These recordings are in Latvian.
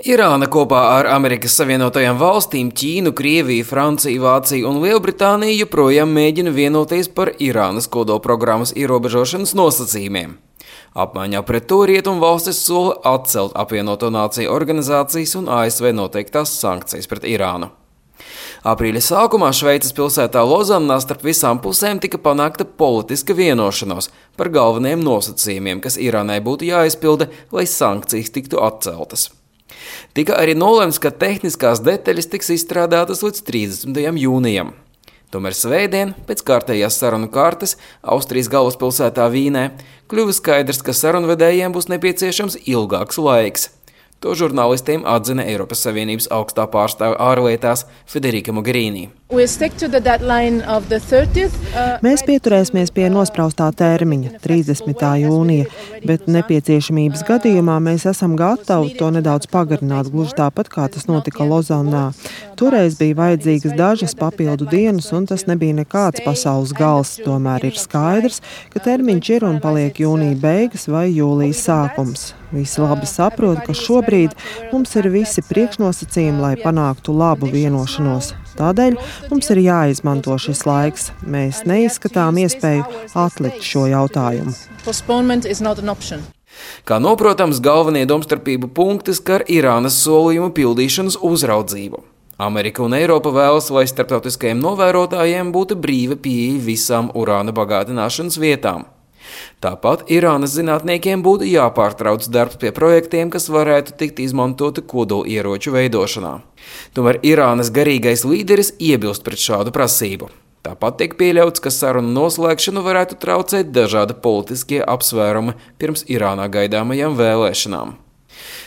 Irāna kopā ar Amerikas Savienotajām valstīm, Ķīnu, Krieviju, Franciju, Vāciju un Lielbritāniju joprojām mēģina vienoties par Irānas kodolprogrammas ierobežošanas nosacījumiem. Apmaiņā pret to rietumvalstis sola atcelt apvienoto nāciju organizācijas un ASV noteiktās sankcijas pret Irānu. Aprīļa sākumā Šveices pilsētā Lozannā starp visām pusēm tika panākta politiska vienošanos par galvenajiem nosacījumiem, kas Irānai būtu jāizpilda, lai sankcijas tiktu atceltas. Tika arī nolemts, ka tehniskās detaļas tiks izstrādātas līdz 30. jūnijam. Tomēr svētdien, pēc kārtējās sarunu kārtas, Austrijas galvaspilsētā Vīnē, kļuva skaidrs, ka sarunvedējiem būs nepieciešams ilgāks laiks. To žurnālistiem atzina Eiropas Savienības augstā pārstāve ārlietās Federica Mogherini. Mēs pieturēsimies pie nospraustā termiņa, 30. jūnija, bet nepieciešamības gadījumā mēs esam gatavi to nedaudz pagarināt, gluži tāpat, kā tas notika Lozannā. Toreiz bija vajadzīgas dažas papildu dienas, un tas nebija nekāds pasaules gals. Tomēr ir skaidrs, ka termiņš ir un paliek jūnija beigas vai jūlijas sākums. Visi labi saprot, ka šobrīd mums ir visi priekšnosacījumi, lai panāktu labu vienošanos. Tādēļ mums ir jāizmanto šis laiks. Mēs neizskatām iespēju atlikt šo jautājumu. Kā noprotams, galvenie domstarpību punkti skar Irānas solījumu pildīšanas uzraudzību. Amerika un Eiropa vēlas, lai starptautiskajiem novērotājiem būtu brīva pieeja visām urāna bagātināšanas vietām. Tāpat Irānas zinātniekiem būtu jāpārtrauc darbs pie projektiem, kas varētu tikt izmantoti kodolieroču veidošanā. Tomēr Irānas garīgais līderis iebilst pret šādu prasību. Tāpat tiek pieļauts, ka sarunu noslēgšanu varētu traucēt dažādi politiskie apsvērumi pirms Irānā gaidāmajām vēlēšanām.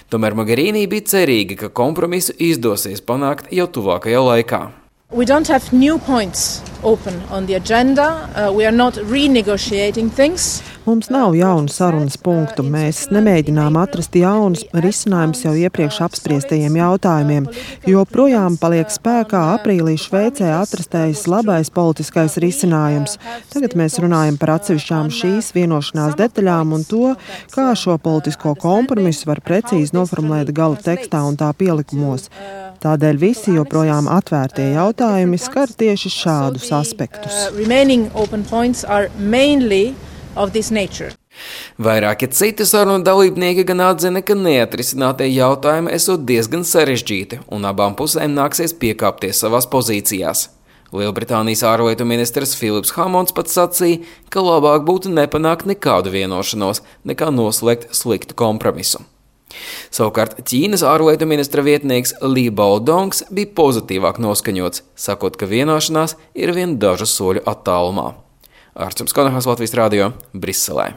Tomēr Mogherini bija cerīga, ka kompromisu izdosies panākt jau tuvākajā laikā. We don't have new points open on the agenda. We are not renegotiating things. Mums nav jaunu sarunas punktu. Mēs nemēģinām atrast jaunus risinājumus jau iepriekš apspriestajiem jautājumiem, jo projām paliek spēkā aprīlī Šveicē atrastais labais politiskais risinājums. Tagad mēs runājam par atsevišķām šīs vienošanās detaļām un to, kā šo politisko kompromisu var precīzi noformulēt gala tekstā un tā pielikumos. Tādēļ visi joprojām atvērtie jautājumi skar tieši šādus aspektus. Vairāki citi sarunu dalībnieki gan atzina, ka neatrisinātie jautājumi esot diezgan sarežģīti un abām pusēm nāksies piekāpties savās pozīcijās. Lielbritānijas ārlietu ministrs Filips Hamons pats sacīja, ka labāk būtu nepanākt nekādu vienošanos, nekā noslēgt sliktu kompromisu. Savukārt Ķīnas ārlietu ministra vietnieks Li Baodongs bija pozitīvāk noskaņots, sakot, ka vienošanās ir vien dažu soļu attālumā. Ārsts Konahas, Latvijas radio, Briselē.